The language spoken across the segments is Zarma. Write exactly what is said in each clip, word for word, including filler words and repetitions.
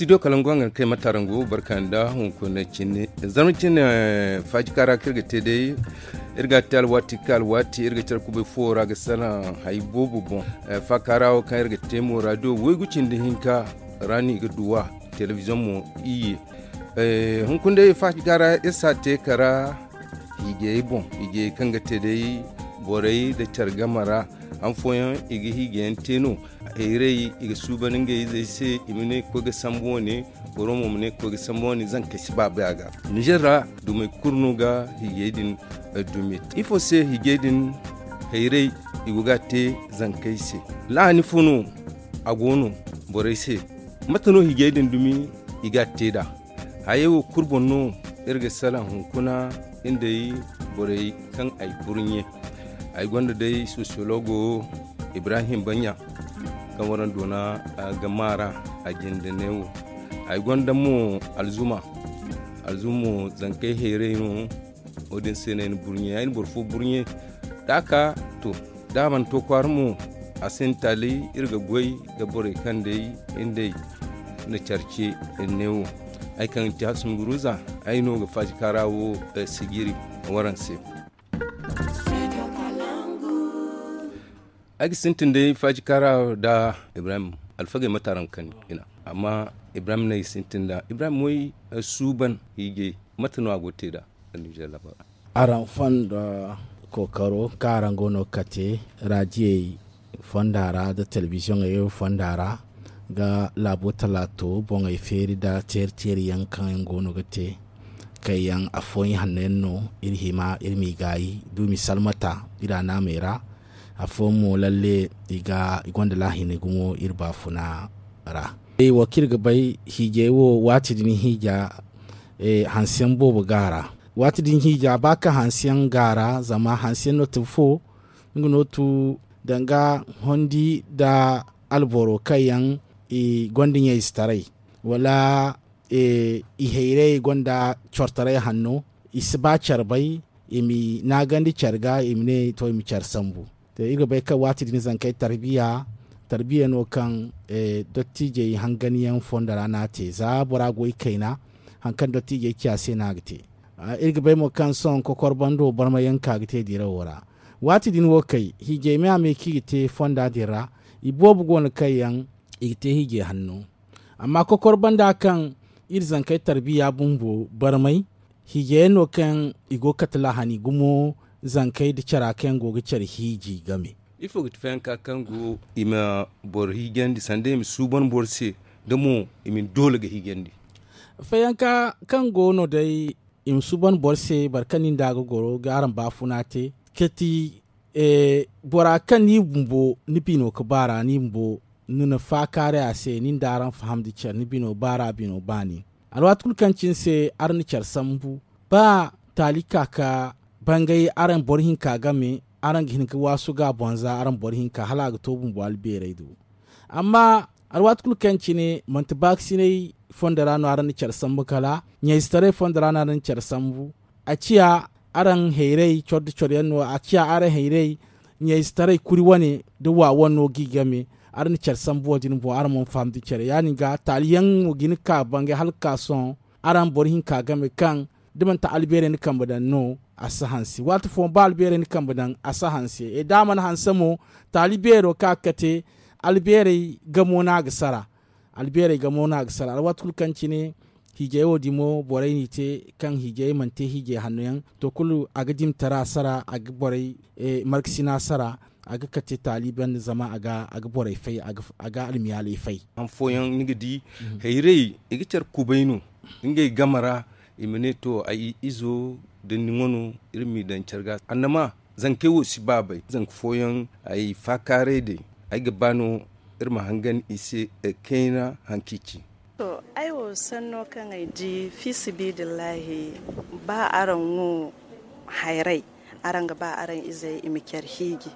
Studio kalangu hangan kay matarango barka nda hunkuna cine. Zarma cine, faji kara kaŋ iri ga te day, iri ga a te alwaati ka alwaati iri ga care kubay fo ra ga salaŋ hay boobo boŋ. Faakara wo kaŋ iri ga te mo radio waygu cindi hinka ra no i ga duw'a. Telebiziyoŋ mo iyye. Hunkuna day faji kara iri si a te kara hiijayey boŋ, hiijayey kaŋ ga te day borey nda care game ra. Han fooyaŋ i ga hiijayaŋ te no. Hayray i ga suuban ngey izey se i ma ne koy ga sambu wane. Boro mo ma ne koy ga sambu wane zankey si baaba a ga. Nizer ra dumey kulu no ga hiijay din dumi. Ifo se hiijay din hayray i go ga a te zankey se? Laani fo no a go no borey se? Mate no hiijay din dumi i ga a te nd'a? Hayey wo kulu boŋ no iri ga salaŋ hunkuna nda ay borey kaŋ ay burɲe. Ay gonda day sosiyologo ibrahim baɲa kaŋ waraŋ doona ga maara a jinde neewo. Ay gonda mo alzuma alzuma mo zankey heeray no. Wo- din se no ay na burɲe ay na boro fo burɲe da a ka to da a mana to kwaara mo. A sinda taali iri ga goy nda borey kaŋ day nda ay na care ce neewo. Ay kaŋ ga ti hasumi guruza ay no ga faasi kaara wo sijiri waraŋ se. Ay ga sintin day faji kaara nda ibrahim alfagey mate araŋ ga kande i na amma ibrahim no ay ga sintin nd'a ibrahim way suuban hiijay mate no a go ga te nd'a? Araŋ fondo kookaro kaŋ araŋ go no ga kate raadiyey fonda ra nda telebiziyoŋey fonda ra ga laabo talaato boŋey feeri nda teeri teeri yaŋ kaŋ yaŋ go no ga te kaŋ yaŋ afooyaŋ hanno yaŋ no iri hima iri m'i gaayi da iri m'i salmata iri a naamey ra. Afooyaŋ mo lalle i gonda laahini gumo iri baafuna ra. Wo kaŋ iri ga bay hiijay wo waati din hiija hanseyaŋ boobo go a ra. Waati din hiija ba kaŋ hanseyaŋ go a ra zama hanseyaŋ no tun fo nga no tu danga hondi nda alboro kaŋ yaŋ i gonda ɲayzetaray wala i hayrayey gonda cortaray hanno. I si ba care bay i m'i naagandi care ga i ma ne to i ma care sambu. Iri ga bay kaŋ waati din zankey tarbiya tarbiya no kaŋ dottiijey hanganyaŋ fondo ra no a te za bora go i kayna. Hari kaŋ dottiijey ci a se no a ga te. Iri ga bay mo kaŋ sohõ kokor bando barmayaŋ ka ga te dirawo ra. Waati din wo kay hiijay me a me kaŋ i ga te fonda din ra. I boobo go no kaŋ yaŋ i ga te hiijay hanno. Amma kokor banda kaŋ iri zankey tarbiya bumbo barmay hiijay yaŋ no kaŋ i go ga kate lahani gumo zankey nda cara kaŋ yaŋ go ga care hiiji game. Ifo ga ti fayanka kaŋ go i ma boro hiijandi sanda i ma suuban boro se da mo i ma ni doole ga hiijandi? Fayanka kaŋ go no day i ma suuban boro se boro kaŋ nin da ga goro ga araŋ baafuna te kati bora kaŋ ni bumbo ni bino ga baara ni bumbo ni na faakaaray a se nin da araŋ fahamndi care ni bino baara bino baani. Alwaati kulu kaŋ cine se araŋ na care sambu ba taali ka ka bangay araŋ boro hinka game araŋ ga hin ga waasu ga a boŋ za araŋ boro hinka hala a ga to bumbo albeeray do. Amma alwaati kulu kaŋ cine manti baakasinay fondo ra no araŋ na care sambu kala ɲayzetaray fondo ra no araŋ na care sambu. A ciya araŋ hayray coro nda coro yaŋ no a ciya araŋ hayray ɲayzetaray kuri wane nda wa wane no ga i game. Araŋ na care sambu wo- din boŋ araŋ mana fahamndi care ya- din ga taali yaŋ mo ga hin ga ka bangay hala ga ka sohõ araŋ boro hinka game kaŋ da manti albeerey ni kambe daŋ no a si hanse waati fooyaŋ ba albeerey ni kambe daŋ a si hanse da a mana hanse mo taali beero kaŋ a ga kate albeerey gamo no a ga sara. Albeerey gamo no a ga sara alwaati kulu kaŋ cine hiijay wo dimo borey n'i te kaŋ hiijay mana te hiijay hanno yaŋ to kulu a ga dima tara sara a ga borey markasina sara. A ga kate taali banda zama a ga borey fay a ga almiyaaley fay. Han fooyaŋ ni ga di hayray i ga care kubay no ngey game ra i ma ne to ay izo da ni wano iri m'i daŋ care ga annama zankey wo si baabay zanka fooyaŋ ay faakaaray day ay ga ba no iri ma hangan i se kayna haŋ kaŋ i ci. To ay wo sanno kaŋ ay di fiisabilillahi ba araŋ wo hayray araŋ ga ba araŋ izey i ma care hiiji.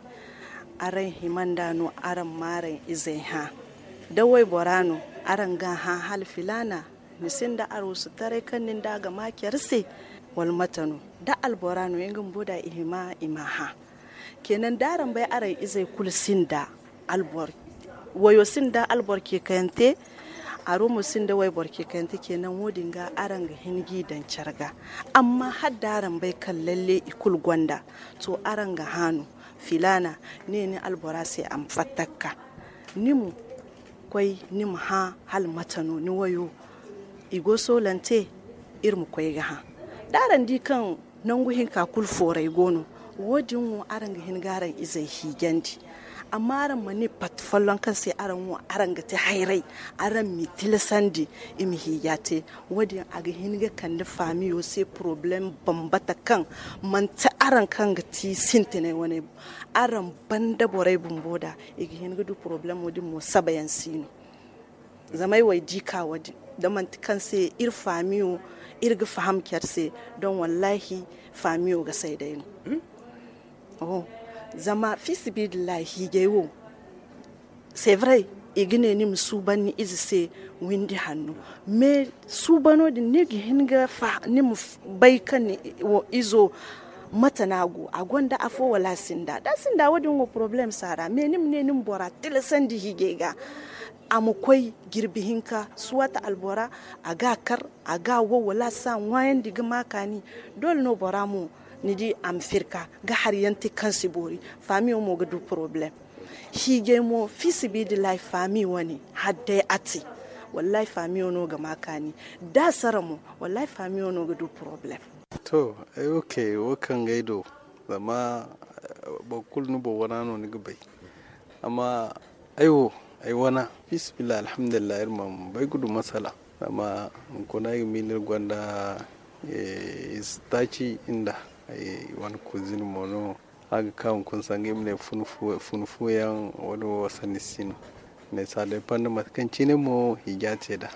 Araŋ hima nda no araŋ ma araŋ izey hã da waybora no araŋ ga a hã hala filaana ni sinda arwusutaray kaŋ nin da a ga ma care se? Wala mate no da albora no nga bumbo da i hima i m'a hã. Kenan da araŋ bay araŋ izey kulu sinda albor wayo sinda albor ceekayante. Aro mo sinda wayboro ce kayante ce naŋ wo- din ga araŋ ga hin g'i daŋ care ga. Amma hala da araŋ bay kaŋ lalle i kulu gonda, to araŋ ga haanu, filaana ne ni albora se a ma fatta ga ka. Ni ma koy ni ma hã hala mate no ni wayo i go soolante. Iri ma koy ga hã da araŋ di kaŋ nangu hinka kulu fooray go no. Wo- din wo araŋ ga hin ga araŋ izey hiijandi. Amma araŋ ma ne pat folloŋ kaŋ se araŋ wo araŋ ga te hayray, araŋ m'i tilasandi i ma hiija te. Wo- din a ga hin ga kande faamiyo se porobalem bambata kaŋ manti araŋ kaŋ ga ti sintinay wane. Araŋ banda borey bumbo da i ga hin ga du porobalemo din mo sabayaŋ si no. Zama ay wo ay di ka wo- din da manti kaŋ se iri faamiyo iri ga faham care se. Don wallahi faamiyo ga say day no. Zama fiisabilillahi hiijay wo, c'est vrai, i ga ne ni ma suuban ni ize se windi hanno. Mais suubano din ni ga hin ga ni ma bay kaŋ ni izo mate no a go a gonda afo wala a sinda da a sinda wo- din wo problème si a ra mais ni ma ne ni ma bora tilasandi hiijay ga. A ma koy jirbi hinka suwata albora a ga a kar a ga a wo wala a si a ŋwaayandi ga ma kaani. Doole no bora mo ni di a ma firka ga hari yaŋ te kaŋ si boori. Faamiyo mo ga du problème. Hiijay mo fiisabilillahi faami wane hala day a te. Wallahi faamiyo no ga ma kaani. Da a sara mo wallahi faamiyo no ga du problème. To, ay wo kay wo kaŋ ga ay do zama boro kulu ni boŋ wana no ni ga bay. Amma ay wo ay wana fiisabilillahi alhamdulillahi iri mana bay ga du masala. Zama hunkuna ay ga miila iri gonda ize taaci nda ay wane kuzin mo no. A ga ka hunkuna sanga i ma ne funu fu yaŋ wo- din wo sanni si no. Mais ça dépend mate kaŋ cine mo hiija te nd'a.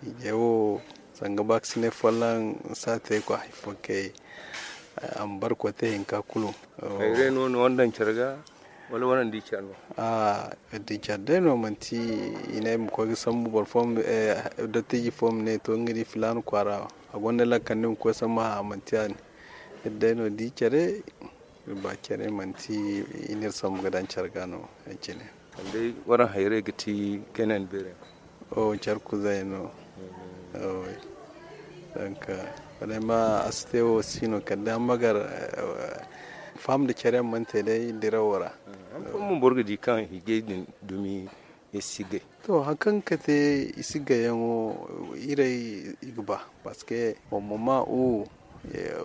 Hiijay wo sanga ba ga si ne folloŋ si a te kwa hari fo kay. A ma barkote hinka kulu. Hayray no ni wane daŋ care ga wala waraŋ di care no? A di care day no manti i ne ay ma koy ga sambu boro fo dottiiji fo ma ne to nga di filaana kwaara a gonda lakkal ni ma koy sambu hã manti a ne. Iri day no di care iri ba care manti i n'iri sambu ga daŋ care ga no. Ay cine. Kala day waraŋ hayray ga ti kayna ni beeray. O care kuzay no. Donc wala ay ma a si te wo si no kala day amma gar faham nda care yaŋ mana te day dirawo ra. Boro ga di kaŋ hiijay din dumi i si gay. To hari kaŋ ga kate i si gayyaŋo iray i ga ba parce que boro ma ma u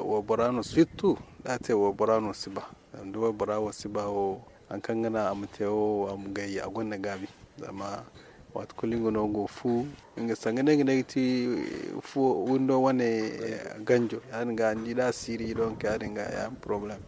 waybora no sirtu da a te waybora no si ba. Zama da waybora wo si ba wo hari kaŋ ga naŋ a ma te wo a ma gay a gonda gaabi. Zama waati kulu nga no go fu nga sanga day ga ne ga ti fu windo wane ganjo ya- din ga ni di da a siiri donk ya- din ga ya- din problème.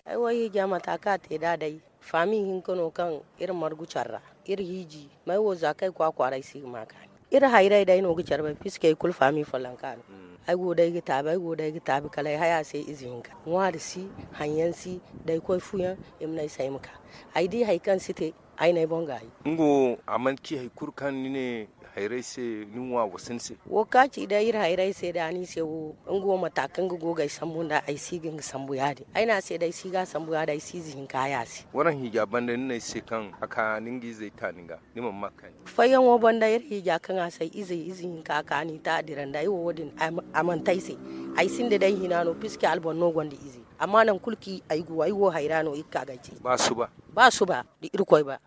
Ay wo hiija mata kaŋ a te da day faami hinka no kaŋ iri margu care ra. Iri hiiji may wo za kaŋ ay kwaakwaara ay si ga ma kaani. Iri hayray day no ga care bay piske ay kulu faami follonka no. Ay go day ga taabi ay go day ga taabi kala ay hay a se ize hinka ŋwaari si haŋ yaŋ si. Da ay koy fu yaŋ i ma ne ay se ay ma ka ay di hari kaŋ si te. Ay no ay boŋ ga hay. Nga wo a mana ci hari kulu kaŋ ni ne hayray se ni ŋwa wasa ni se. Wo kaŋ a ci day iri hayray se da ni se wo nga wo mata kaŋ ga go ga ay sambu nda ay si ga nga sambu ya- din ay ne a se day si ga a sambu ya- din ay si ize hinka hay a se. Waraŋ hiija banda ni ne ay se kaŋ a ka ni nga izey ta ni ga ni mana ma kaani. Fayyaŋo banda iri hiija kaŋ a se ay izey ize hinka a ka ni ta a dira nda ay wo wo- din a mana te ay se. Ay sinda day hina no piske alboro no gonda ize. Amma nangu kulu kaŋ ay go ay wo hayra no iri ga ka ga ay ce ba suba da irkoy ba.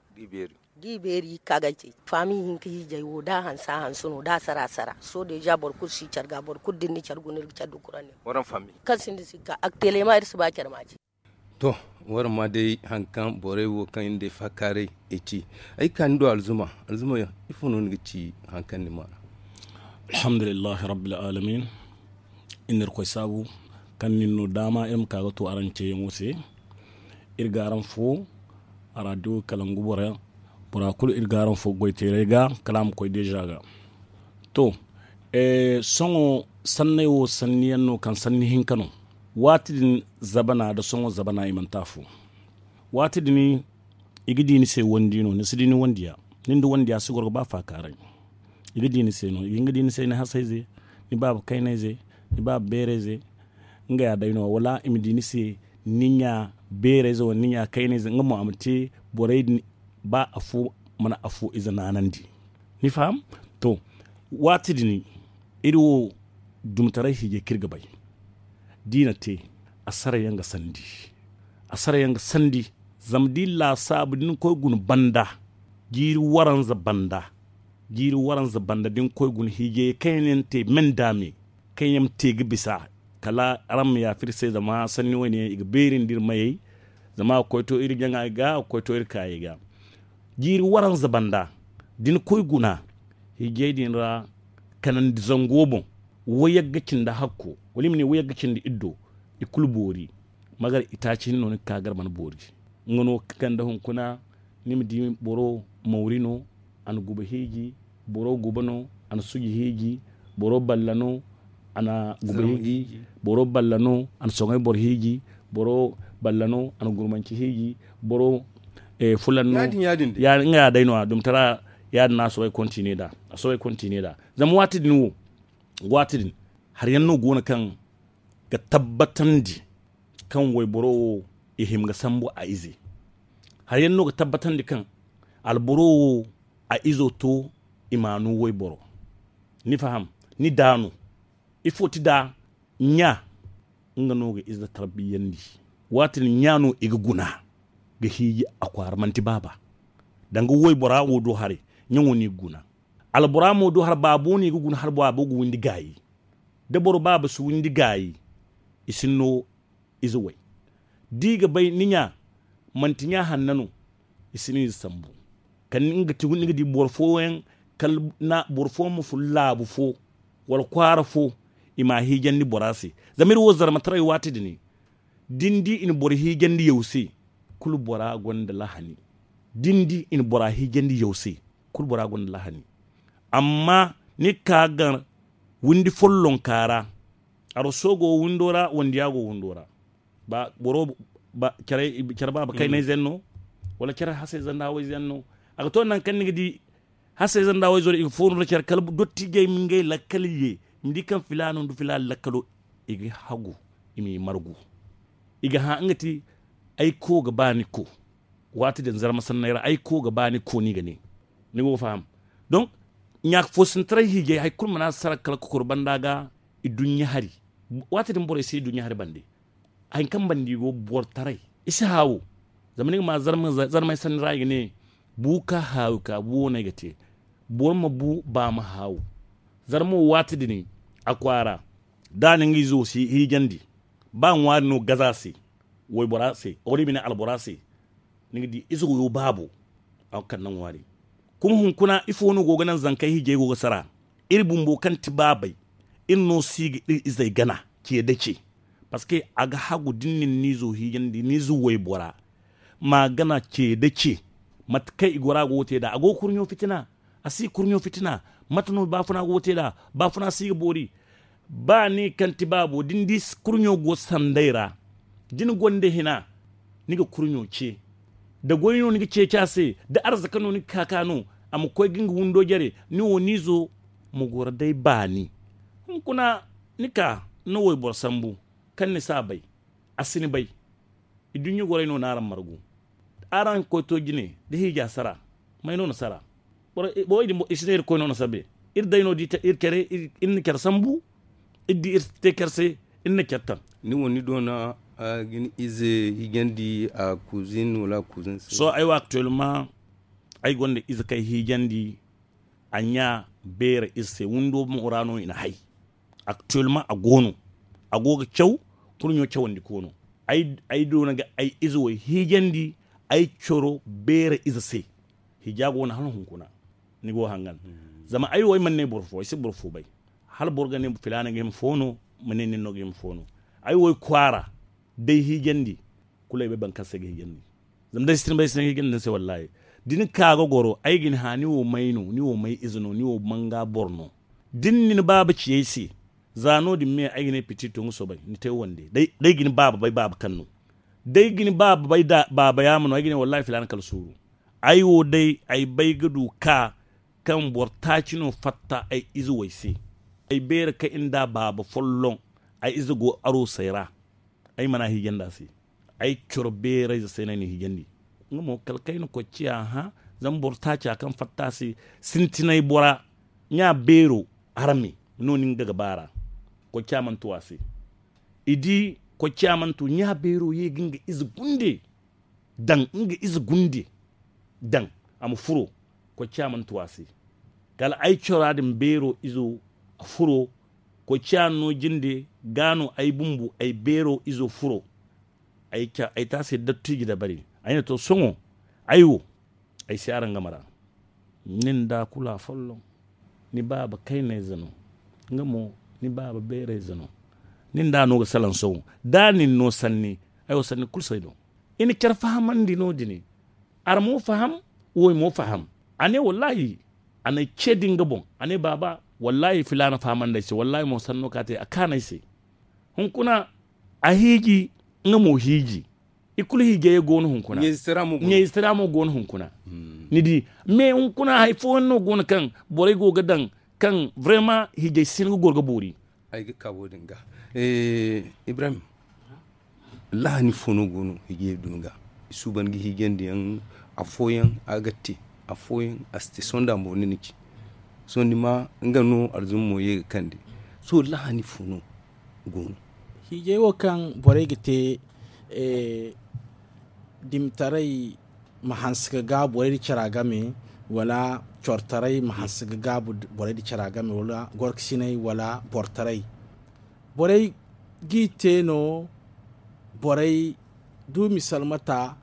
Da i beeri ga i ka ga ay ce faami hinka hiijay wo da a hanse a hanse no da a sara a sara sohõ deeza boro kulu si care ga boro kulu da ni na care guna iri ga care dukurandiyaŋ. Kaŋ sinda si ga ka aktelema iri si ba care ma ce. To, waraŋ ma day hari kaŋ borey wo kaŋ iri na day faakaaray i ci. Ay ga ka ni do alzuma alzuma ifo no ni ga ci hari kaŋ ni maana? Alhamdulillahi rabbil alamin. Iri na irkoy saabu kaŋ nin no daama iri ma ka ga to araŋ ceeyaŋo se. Iri ga araŋ fo araadiyo kalangu bora bora kulu iri ga araŋ fo goyteeray ga kala a ma koy deeza ga. To, sohõ sanney wo sanni yaŋ no kaŋ sanni hinka no. Waati din zabana nda sohõ zabana i manti afo. Waati din i ga di ni se wandi no ni si di ni wandiya. Ni nda wandiya si goro ga ba faakaaray. I ga di ni se no i ga hin ga di ni se ni hasayze, ni baaba kaynayze, ni baaba beerayze. Nga ya day no wala i ma di ni se ni ɲa beerayze wala ni ɲa kaynayze nga mo a ma te borey din. Ba afo mana afo ize naanandi. Ni faham? Waati din, iri wo dumtaray hiijay kaŋ iri ga bay, da i na te, a sara yaŋ ga sandi. A sara yaŋ ga sandi. Zama da i laasaabu da ni koy guna banda, jiiri waranza banda, jiiri waranza banda da ni koy guna hiijay kaŋ yaŋ te me nda me, kaŋ yaŋ te ga bisa, kala araŋ ma yaafa iri se, zama sanni wo- ne yaŋ i ga beeri nda iri mayey. Zama a ga koy to iri jaŋa ga, a ga koy to iri kaayey ga. Jiiri waranza banda, da ni koy guna hiijay din ra, kanandi zango boŋ, wayagga cindi hakko, wala i ma ne wayagga cindi iddo, i kulu boori. Magar itaaci hinne no ni ga ka gar mana boori. Nga no ga kande hunkuna, ni ma di boro mawri no, a na guba hiiji. Boro guba no, a na suji hiiji. Boro balla no, a na guba hiiji. Boro balla no, a na soŋay boro hiiji. Boro balla no, a na gurmanci hiiji. Boro fulan no. Ya- nga ya day no a dumtara. Ya- din no a soobay kontine nd'a. A soobay kontine nd'a. Zama waati din wo, waati din, hari yaŋ no go no kaŋ ga tabbatandi kaŋ wayboro wo i hima ga sambu a ize. Hari yaŋ no ga tabbatandi kaŋ alboro wo a izo to i ma a no wayboro. Ni faham? Ni da no. Ifo ti da ɲa? Nga no ga ize tarbiyandi. Waati din ɲa no i ga guna ga hiiji a kwaara, manti baaba. Danga waybora wo do haray, ɲaŋo no i ga guna. Albora mo do hari baabo no i ga guna, hari baabo ga windi gaayi. Da boro baaba si windi gaayi, i si no ize way. Da i ga bay ni ɲa manti ɲa hanna no, i si no ize sambu. Kala nga ti, ni ga di boro fooyaŋ, kala boro fo ma fun laabu fo wala kwaara fo, i ma a hiijandi bora se. Zama iri wo zarmataray waati din, da ni di i na boro hiijandi yaw se, kulu bora gonda lahani. Da ni di i na bora hiijandi yaw se, kulu bora gonda lahani. Amma ni ga ka ga windi follonka ra, aroso go windo ra, wandiya go windo ra. Ba boro, ba care, care baaba kaynayze yaŋ no, wala care hasayze nda hawayze yaŋ no. A ga to nangu kaŋ ni ga di hasayze nda hawayzo i ga fooru nda care, kala dottijey ma ngey lakkal ye, i ma di kaŋ filaano nda filaana lakkalo, i ga hagu, i m'i margu. I ga hã nga ti ay ko ga ba ni ko. Waati din zarma sanney ra ay ko ga ba ni ko, ni ga ne. Ni go ga faham? Donc, ɲa foosintaray hiijay, hari kulu mana sara kala kokoro banda ga, i duɲɲa hari. Waati din borey si i duɲɲa hari bande. Hari kaŋ banda i go boro taray, i si haawu. Zama ni ga ma zarma, zarmay sanni ra i ga ne, bu ka haawu ka, bu wo no ay ga te. Boro ma bu, ba ma haawu. Zarma wo waati din a kwaara, da a na nga izo hiijandi, ba ŋwaari no gaza se, waybora se, wala i ma ne albora se, ni ga di izo wo baabo. A ga kande ŋwaari. Kuma hunkuna ifo no go ga naŋ zankey hiijay go ga sara? Iri bumbo kaŋ ti baabey, iri no si ga iri izey gana ce da ce. Parce que a ga hagu da ni na ni izo hiijandi, ni izo waybora ma gana ce da ce. Mate kaŋ i gora go ga te nd'a, a go ga kurɲo fitina. A si kurɲo fitina. Mate no baafuna go ga te nd'a? Baafuna si ga boori. Ba ni kaŋ ti baabo, da ni di kurɲo go sanday ra, da ni gonda hina, ni ga kurɲo ce. Da goy no ni ga ceeci a se, da arzaka no ni ga ka ka no, a ma koy ga nga windo jare, ni wo ni izo ma goro day baani. Hunkuna ni ka ni wayboro sambu, kaŋ ni si a bay, a si ni bay. Iduɲɲa gorey no n'araŋ margu. Araŋ koy to jine da hiija sara, may no na sara? Borey din, i si ne Irkoy no na sabe. Iri day no di iri care, iri na care sambu. Iri di iri te care se, iri na care taŋ. Ni wo ni doona ga ni ize hiijandi a kuzin wala a kuzin se? Sohõ ay wo actuellement, ay gonda ize kaŋ ay hiijandi a ɲa beera ize se, windo mo ra no i na hay. Actuellement a go no, a go ga caw. Kurɲo cawandi koono. Ay doona ga ay ize wo hiijandi ay coro beera ize se. Hiija go no hala hunkuna. Ni go hangan. Zama ay wo ay mana ne boro fo, ay si boro fo bay. Hala boro ga ne filaana ga hima fo no, ma ne nin no ga hima fo no. Ay wo ay kwaara, day hiijandi, kulu ay bay boro kaŋ se ay ga hiijandi. Zama day sintin bay sintin ga hiijandi ni se wallahi. Da ni ka ga goro, ay ga ni hã, ni wo may no, ni wo may ize no, ni wo manga boro no. Da ni na ni baaba ci ay se, za no- din me ay ga ne piti to nga soobay ni te wande. Day ga ni baaba bay baaba kaŋ no. Day ga ni baaba bay baaba yaama no, ay ga ne wallahi filaana kala suuru. Ay wo day ay bay ga du ka kaŋ boro taaci no fatta ay ize wo ay se. Ay beera kaŋ iri nda baaba folloŋ, ay ize go aroosey ra. Ay mana hiijandi a se. Ay coro beerayze se no ay na hiijandi. Nga mo kala kaŋ ay na koy ciya hã. Zama boro taaca kaŋ fatta a se, sintinay bora, ɲa beero arme no nin ga ga baara. Koy caamantu a se. I di koy caamantu ɲa beero ye ga nga ize gunde daŋ nga ize gunde daŋ a ma furo. Koy caamantu a se. Kala ay cora din beero izo a furo. Koy caano jinde ga no ay bumbu ay beero izo furo. Ay taasi dattiiji dabari ay na to sohõ. Ay wo ay si araŋ game ra. Nin da kulu a folloŋ. Ni baaba kaynayze no. Nga mo ni baaba beerayze no. Nin da no ga salaŋ sohõ da nin no sanni. Ay wo sanni kulu si ay do. I na care fahamandi no- din. Ara mo faham. Wo mo faham. A ne wallaahi. A na ay ce din ga boŋ. A ne baaba wallaahi filaana fahamandi ay se wallaahi mo sanno ka te a kaanay se. Hunkuna a hiiji. Nga mo hiiji. I kulu hiijayey go no hunkuna. Ɲayzitara mo go no hunkuna. Ni di. Mais hunkuna hari fooyaŋ no go no kaŋ borey go ga daŋ kaŋ vraiment hiijay si hin ga goro ga boori. Ay ga ka wo- din ga. Ibrahim. Lahani fo no go no hiijayey dumi ga. I suuban ga hiijandi yaŋ. Afooyaŋ a ga te. Afooyaŋ a si te sohõ da mo ni na ci. Sohõ ni ma nga no alzuma mo ye ga kande. Sohõ lahani fo no go no. Hiijay wo kaŋ borey ga te dimitaray ma hanse ga gaabu borey nda cara game wala cortaray ma hanse ga gaabu borey nda cara game wala gorkasinay wala bortaray. Borey g'i te no. Borey du misalmata.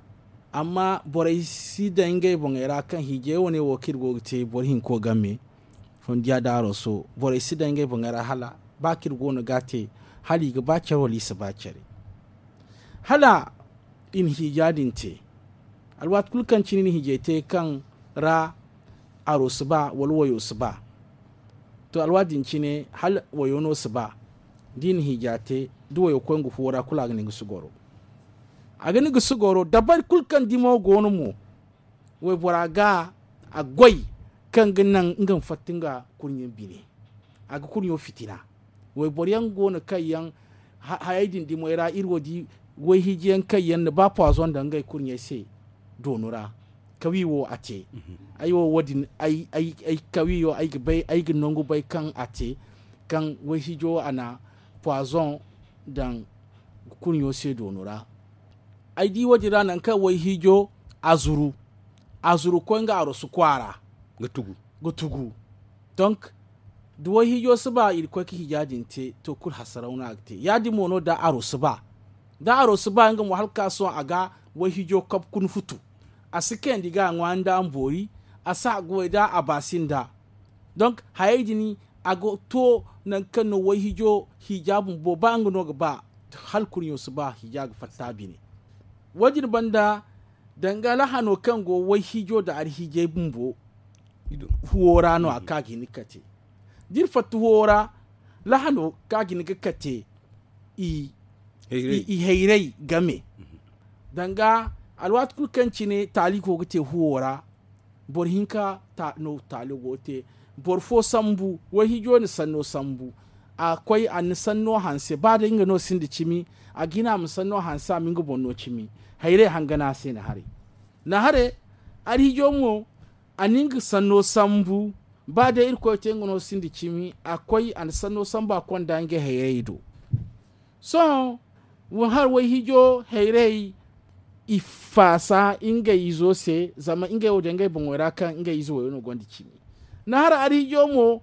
Amma borey si daŋ ngey boŋey ra kaŋ hiijay wane wo kaŋ iri go ga te boro hinko game. Fondiya da aroso borey si daŋ ngey boŋey ra hala ba kaŋ iri go no ga a te hala i ga ba care wala i si ba care. Hala i na hiija din te. Alwaati kulu kaŋ cine i na hiijay te kaŋ ra aro si ba wala wayo si ba. To alwaati din cine hala wayo no si ba. Da i na hiija te da wayo koy nga fuwo ra kulu a ga ni ga si goro. A ga ni ga si goro dabari kulu kaŋ dimo go no mo. Waybora ga a goy kaŋ ga naŋ nga ma fatta nga kurɲe bine. A ga kurɲo fitina. Wayboro yaŋ go no kaŋ yaŋ hayey din dimoy ra iri wo di wayhiijiyaŋ kaŋ yaŋ na ba pwazon daŋ ngey kurɲey se doonu ra. Kawi wo a te. Ay wo wo- din ay kawi wo ay ga bay ay ga nangu bay kaŋ a te. Kaŋ wayhiijo a na pwazon daŋ kurɲo se doonu ra. Ay di wo- din ra nangu kaŋ wayhiijo a zuru a zuru koy nga arosu kwaara ga tugu. Donk da wayhiijo si ba irkoy ga hiija din te to kulu hasaraw no a ga te ya- din mo no da aro si ba. Da aro si ba nga mo hala ga ka sohõ a ga wayhiijo kabu kuna futu. A si kayandi ga a ŋwa nda a ma boori. A si a goy da a baasi nda. Donk hayey din a ga to nangu kaŋ no wayhiijo hiija bumbo ba nga no ga ba hala kurɲo si ba hiija ga fatta a bine. Wo- din banda danga lahano kaŋ go wayhiijo nda alhiijay bumbo huwo ra no a ga ka ga hin ga kate. Da iri fatta huwo ra lahano kaŋ a ga hin ga kate i hayray game. Danga alwaati kulu kaŋ cine taali go ga te huwo ra boro hinka no taali go ga te. Boro fo sambu wayhiijo na sanno sambu a koy a na ni sanno hanse ba day nga no sinda cimi. A ga hin a ma sanno hanse a ma nga boŋ no cimi. Hayray hangana a se na haray. Na haray alhiijo mo a na nga sanno sambu. Ba day irkoy te nga no sinda cimi a koy a na sanno sambu a konda ngey hayray do. Sohõ hari wayhiijo hayray i faasa ngey izo se zama ngey wo day ngey boŋo ra kaŋ ngey ize wayo no gonda cimi. Na hari alhiijo mo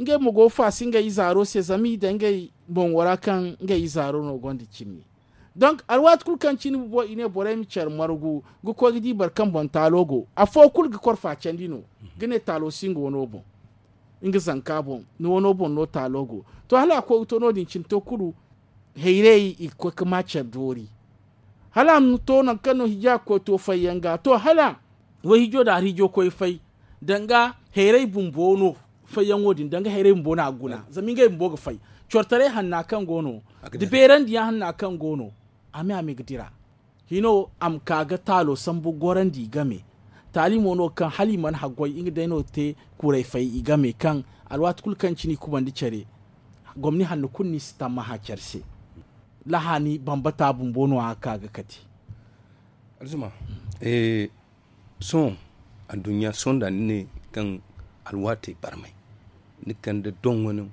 ngey mo go ga faasa ngey izaaro se zama i daŋ ngey boŋo ra kaŋ ngey izaaro no gonda cimi. Donk alwaati kulu kaŋ cine bumbo i ne borey ma care margu ga koy ga di boro kaŋ boŋ taalo go afo kulu ga kor faacandi no ga ne taalo si nga wano boŋ. Nga zanka boŋ ni wano boŋ no taalo go. To hala a koy ga to no- din cine to kulu hayray i ga koy ga ma care doori. Hala a ma to nangu kaŋ no hiija ga koy to fayyaŋ ga to hala wayhiijo nda alhiijo koy fay danga hayray bumbo no fayyaŋo din danga hayray bumbo no a ga guna zama ngey bumbo ga fay. Cortaray hanna kaŋ go no da beerandiyaŋ hanna kaŋ go no a me a me ga dira. Hino a ma ka ga taalo sambu gorandi i game. Taali mo no kaŋ hala i mana haggoy nga day no ga te kuray fay i game kaŋ alwaati kulu kaŋ cine i kubandi care gomni hanno kulu no i si tammaha care se. Lahaani bambata bumbo no a ga ka ga kate. Alzuma sohõ adduɲɲa sohõ da ni ne kaŋ alwaatey barmay ni kande doŋo no,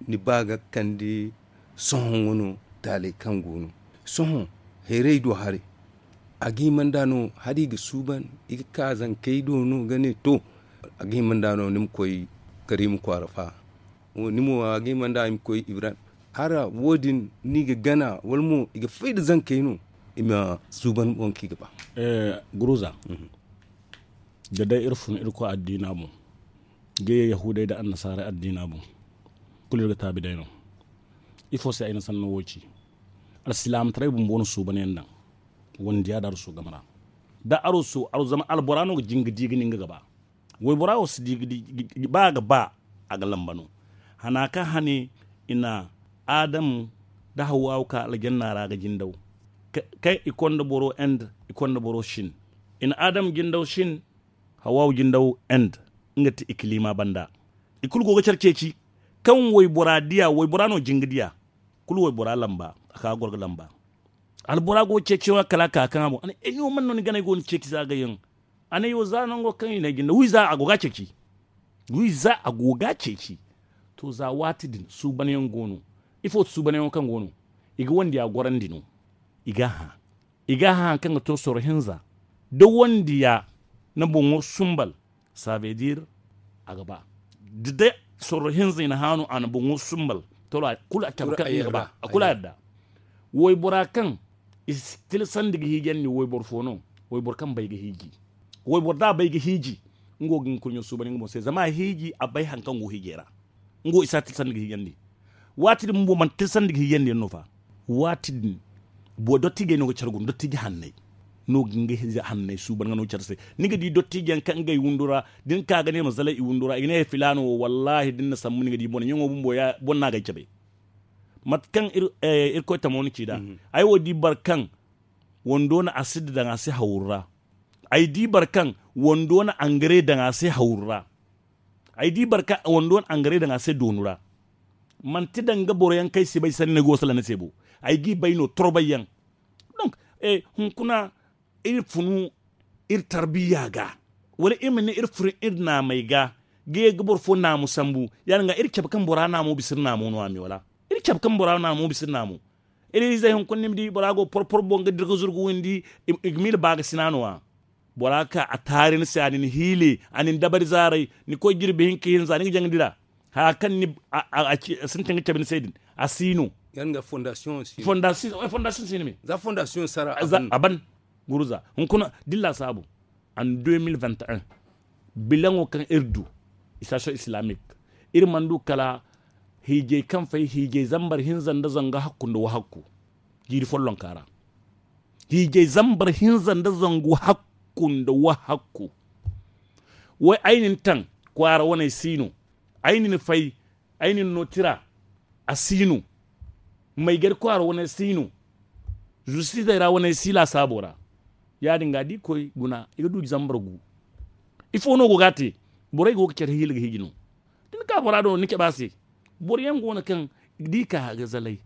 ni ba ga kande sohõ wano taaley kaŋ go no. Sohõ hayrey do haray, a ga hima nd'a no hala i ga suuban, i ga ka zankey do no ga ne to, a ga hima nd'a no ni ma koy Karimu kwaara fa. Ni mo a ga hima nd'a i ma koy Ibrahim. Hala wo- din no i ga gana wala mo i ga fay nda zankey no, i ma suuban boŋ kaŋ i ga ba. Guruza, da day iri fun irkoy addiina boŋ, ga ye yahuudey nda annasaarey addiina boŋ, kulu iri ga taabi day no. Ifo se ay na sanno wo ci? Alsilaamataray bumbo no suuban yaŋ daŋ. Wandiya nda arwaso game ra, da arwaso arwaso zama albora no ga jin ga di ga nin ga gaba. Waybora wo si di ga di, ba a ga ba, a ga lamba no. Hana kaŋ hane i na adam nda hawwawu ka aljanna ra ga jindaw, kaŋ i konda boro end, i konda boro shin. I na adam jindaw shin, hawwawu jindaw end. Nga ti ikilima banda. I kulu go ga care ceeci. Kaŋ waybora diya, waybora no jin ga diya. Kulu waybora lamba, a ka ga goro ga lamba. Albora go ga ceeci yaŋo kala a ka kaŋ a boŋ a ne ay no man no ni ganay go ni ceeci za ga yaŋ. A ne yo za nango kaŋ i na ay jinde wi za a go ga a ceeci. Wi za a go ga a ceeci. To za waati din suuban yaŋ go no. Ifo ti suuban yaŋo kaŋ go no? I ga wandiya gorandi no. I ga a hã. I ga a hã hari kaŋ ga to sorro hinza. Da wandiya na boŋo sumbal, savedir a ga ba. Da day sorro hinza i na hã no a na boŋo sumbal, to kulu a cabe kaŋ nga ga ba a kulu a yadda. Waybora kaŋ i si tilasandi ga hiijandi wayboro fo no? Wayboro kaŋ bay ga hiiji. Wayboro da a bay ga hiiji, nga wo ga nga kurɲo suuban nga boŋ se zama a hiiji a bay hari kaŋ go hiijey ra. Nga wo i si a tilasandi ga hiijandi. Waati din bumbo manti tilasandi ga hiijandi yaŋ no fa. Waati din, dottijey no ga care guna dottiji hanney. No ga nga hanney suuban nga no care se. Ni ga di dottiji yaŋ kaŋ ngey windo ra, da ni ka ga ne ma zalay i windo ra i ga ne filaana wo wallaahi da ni na sambu ni ga di bone ɲaŋo bumbo boŋ no a ga ay cabe. Mate kaŋ irkoy tamo ni ci nd'a. Ay wo di boro kaŋ wando no a si daŋ a se hawru ra. Ay di boro kaŋ wando na angare daŋ a se hawru ra. Ay di boro kaŋ wando na angare daŋ a se doonu ra. Manti danga boro yaŋ kaŋ ay si bay sanni no ay go ga salaŋ ni se bo. Ay g'i bay no torbay yaŋ. Donk hunkuna iri funu iri tarbiya ga, wala iri ma ne iri funu iri naamey ga, ga ye ga boro fo naamu sambu. Ya- din ga iri cabe kaŋ bora naamo bisa iri naamo no- ya me wala? Iri cabe kaŋ bora naamo bisa iri naamo. Iri izey hunkuna ni ma di bora go porpor boŋ ga dira ga zuru ga windi. I ga miila baakasina no- ya. Bora ka a taari ni se a na ni hiile, a na ni dabari zaaray. Ni koy jirbi hinka hinza ni ga jaŋ dira. Haya kaŋ ni a sintin ga cabe ni se din, a si no. Fondasiyoŋ si no me. A ban. Guruza hunkuna da ni laasaabu. An deux mille vingt et un, bilaŋo kaŋ iri du, isasiyoŋ islamik, iri mana du kala hiijay kaŋ fay hiijay zambar hinza nda zangu hakku nda wahakku. Jiiri follonka ra hiijay zambar hinza nda zangu hakku nda wahakku. Way ay na ni taŋ, kwaara waney si no. Ay na ni fay, ay na ni no tira, a si no. Maygari kwaara waney si no. Zustizey ra waney si laasaabo ra. Ya- din ga da i koy guna i ga du zambar gu. Ifo no go ga a te? Borey go ga care hiila ga hiiji no. Da ni ka bora do ni cabe a se. Boro yaŋ go no kaŋ da i ka ga zalay,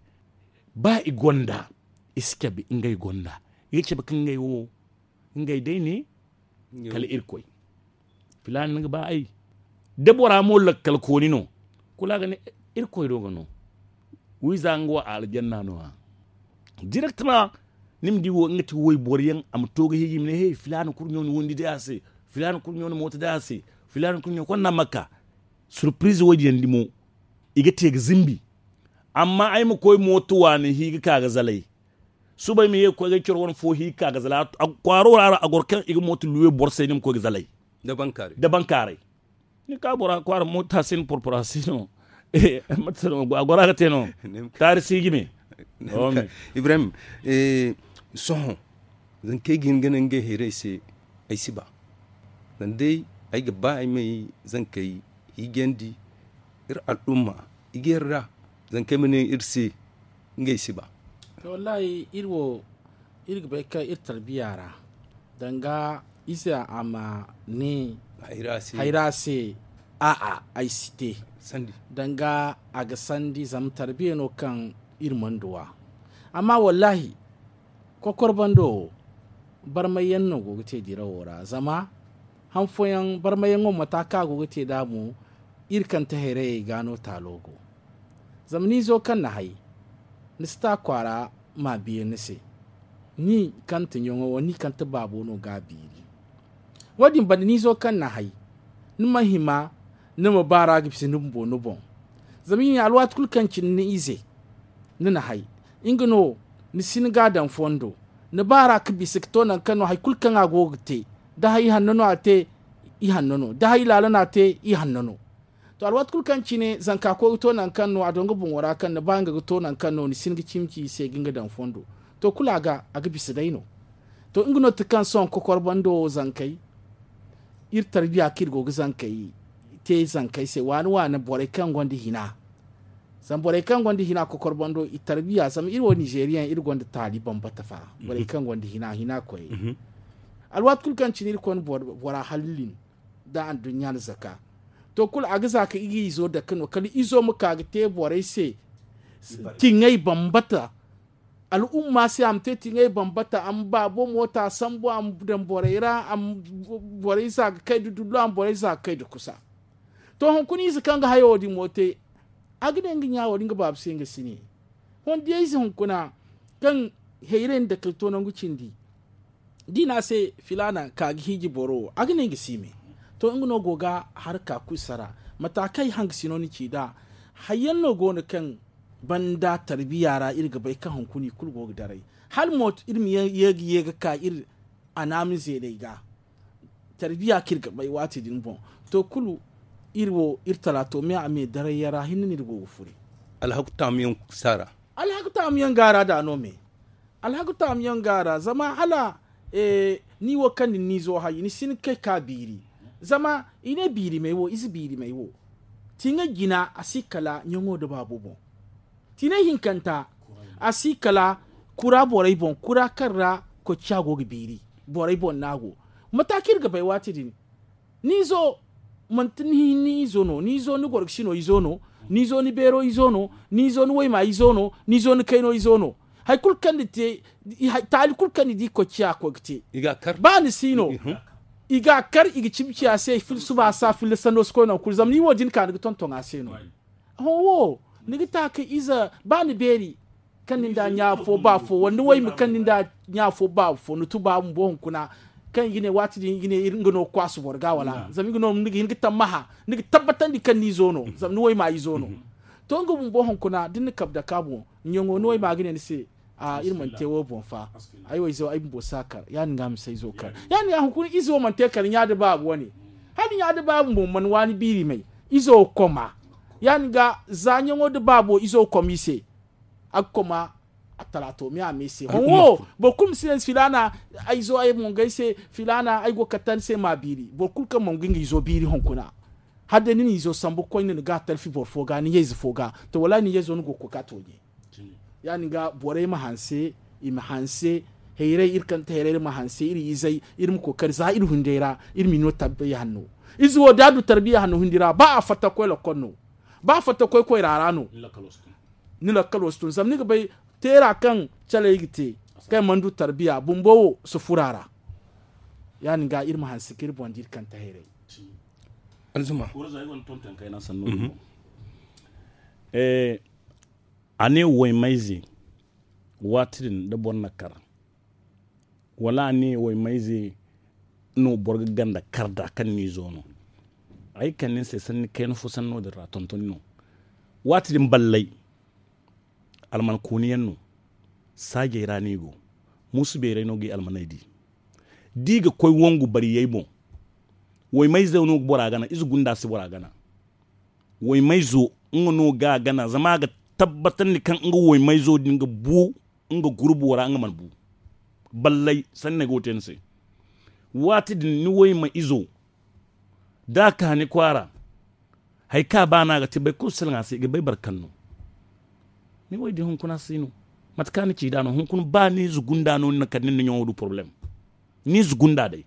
ba i gonda, i si cabe ngey gonda. I ga cabe kaŋ ngey wo ngey day ne. Kala irkoy filaana ni ga ba ay. Da bora mo lakkal kooni no, kulu a ga ne irkoy do ga no. Wiiza nga wo a aljanna no- ya. Direktama ni ma di wo nga ti wayboro yaŋ a ma to ga hiiji i ma ne he filaana kurɲo na windi day a se. Filaana kurɲo na mooto day a se. Filaana kurɲo konda makka. Surpirize wo- din yaŋ di mo i ga te ga zimbi. Amma ay ma koy mooto waani hi ga ka ga zalay. Suba ay ma ye ga koy ga ay coro wane fo hi ga ka ga zalay. Kwaaro ra a goro kaŋ i ga mooto luwe boro se ni ma koy ga zalay. Da bankaaray. Ni ka bora kwaara mooto a si no porpora a si no. A gora ga te no. Taari si ga me. Ibrahim, sohõ zankey ga hin ga ne ngey hayrey se. Ay si ba. Zama day ay ga ba ay ma ay zankey hiijandi. Iri al'umma i ga yarda zankey ma ne iri se ngey si ba. To wallahi iri wo iri ga bay kaŋ iri tarbiya ra danga ize a ma ne hayra se a'a ay si te. Danga a ga sandi zama tarbiya no kaŋ iri mana duw'a. Amma wallahi kokor bando wo barmay yaŋ no go ga te dirawo ra zama han fooyaŋ barmay yaŋo mata kaŋ a go ga te nd'a mo. Iri kaŋ ti hayrayey ga no taalo go. Zama ni izo kaŋ na hay, ni si ta kwaara ma a biiri ni se. Ni kaŋ ti ɲaŋo wo ni kaŋ ti baabo no ga a biiri. Wo- din banda ni izo kaŋ na hay, ni ma hima ni ma baara ga bisa ni bumbo ni boŋ. Zama i ne alwaati kulu kaŋ cine ni ize, ni na hay, nga no ni si ni ga a daŋ fondo. Ni baara ga bisa ga to nangu kaŋ no hari kulu kaŋ a go ga te, da hari ihanno no a te, ihanno no da hari laala no a te, ihanno no. To alwaati kulu kaŋ cine zanka koy ga to nangu kaŋ no a daŋ nga boŋo ra kaŋ ni ba nga ga to nangu kaŋ no ni si ni ga cimi ci i se ga nga daŋ fondo. To kulu a ga a ga bisa day no. To nga no ti kaŋ sohõ kokor bando wo zankey, iri tarbiya kaŋ iri go ga zankey te zankey se waani waani borey kaŋ gonda hina. Zama borey kaŋ gonda hina kokor bando i tarbiya zama iri wo ninzeeriyaŋ iri gonda taali bambata fa. Borey kaŋ gonda hina hina koyey. Alwaati kulu kaŋ cine iri konda bora hallin da anduɲɲa na zaka. To kulu a ga za ka i ga izo dake no kala izo ma ka ga te borey se. Tiŋey bambata. Al'umma se a ma te tiŋey bambata a ma baabo moota sambu a ma daŋ borey ra. Borey za ga kay nda dullo a ma borey za ga kay nda kusa. To hunkuna ize kaŋ ga hayo wo- din mo te, a ga ne nga ɲa wo- din nga baaba se nga si ne. Hondiyayze hunkuna kaŋ hayray nda kay to nangu cindi, da i ne a se filaana ka ga hiiji boro wo a ga ne nga si me. To nga no go ga harka kulu sara. Mata kaŋ ay hangasino ni ci nd'a, hayyaŋ no go no kaŋ banda tarbiya ra iri ga bay kaŋ hunkuna i kulu go ga daray. Hala mo iri ma ye ga ye ga ka iri a naama zeeney ga. Tarbiya kaŋ iri ga bay waati din boŋ. To kulu iri wo iri talaato me a me daray yaŋ ra hinne no iri go ga furi. Alhaku taamuyaŋ saara. Alhaku taamuyaŋ gaara da no me. Alhaku taamuyaŋ gaara zama hala ni wo kaŋ ni n'izo hay ni si ni kay ka biiri. Zama i ne biirimey wo ize biirimey wo. Tiŋay jina a si kala ɲaŋo nda baabo boŋ. Tiinay hinkanta a si kala kura borey boŋ kura kaŋ ra kocciya go ga biiri. Borey boŋ no a go. Mata kaŋ iri ga bay waati din ni izo manti ni izo no ni izo ni gorgosino izo no ni izo ni beero izo no ni izo ni wayma izo no ni izo ni kayno izo no. Hari kulu kaŋ ni te taali kulu kaŋ ni di kocciya a koy ga te. Ba ni si no i ga a kar i ga cimi ciya se suba a sa filla sanno si koy nangu kulu zama ni wo din ka ni ga tonton a se no. Hõ wo ni ga ta ka ize ba ni beeri kaŋ ni nda ɲa fo ba fo wala ni wayma kaŋ ni nda ɲa fo ba fo ni tuba bumbo hunkuna. Kaŋ i ga ne waati din i ga ne nga no ga kwaasu boro ga wala zama nga no ni ga hin ga tammaha ni ga tabbatandi kaŋ ni izo no zama ni wayma izo no. To nga bumbo hunkuna da ni na kabe dake a boŋ ɲaŋo ni wayma ga ne ni se. Iri mana te wo boŋ fa. Ay wo izo ay bumbo si a kar ya- din ga a ma si ay izo kar ya- din ga hunkuna izo mana te kar ɲa da baabu wane. Hala ɲa da baabu mo mana waani biiri may izo koma. Ya- din ga za ɲaŋo da baabo izo koma i se. A ga koma a talaato me a me se hõ wo boro kulu ma si ne filaana. Ay zo ay mongay se filaana ay go ga katta ni se ma a biiri boro kulu kaŋ mongu nga izo biiri hunkuna. Hala day ni na izo sambu ga koy ni na ga talfi boro fo ga ni ɲayze fo ga. To wallaahi ni ɲayzo ni go ga koy ga a tooɲe. Ya- din ga borey ma hanse i ma hanse. Hayray iri kaŋ ti hayray iri ma hanse iri izey iri ma kookari za iri hunday ra. Iri ma i no tarbiya hanno. Ize wo da a du tarbiya hanno hundi ra ba a fatta ga koy lakkol no. Ba a fatta ga koy koyra ra no. Ni lakkal wo si tun zama ni ga bay teera kaŋ caley ga te kaŋ i mana du tarbiya bumbo wo si furo a ra. Ya- din ga iri ma hanse ga iri boŋ da iri kaŋ ti hayray. Alzuma. A ne waymayze waati din da boro na kar wala a ne waymayze no boro ga ganda kar nd'a kaŋ ni izo no. Ay kande ni se sanni kayna fo sanno din ra tontoni no. Waati din ballay alman kooni yaŋ no. Saajey ra no i go. Muusu beeray no ga i almaney di. Da i ga koy wangu bariyey boŋ waymayze no ga bora gana ize gunda si bora gana. Waymayzo nga no ga a gana zama a ga tabbatandi kaŋ nga waymayzo din ga bu nga gurbo ra nga mana bu. Ballay sanni ay go ga te ni se. Waati din ni wayma izo da a ka ni kwaara hari kaŋ a ba no a ga te boro kulu salaŋ a se i ga bay boro kaŋ no. Ni wo ay di hunkuna si no. Mate kaŋ ni ci nd'a no hunkuna ba ni ize gunda no ni na kande ni na ɲaŋo du porobalem. Ni ize gunda day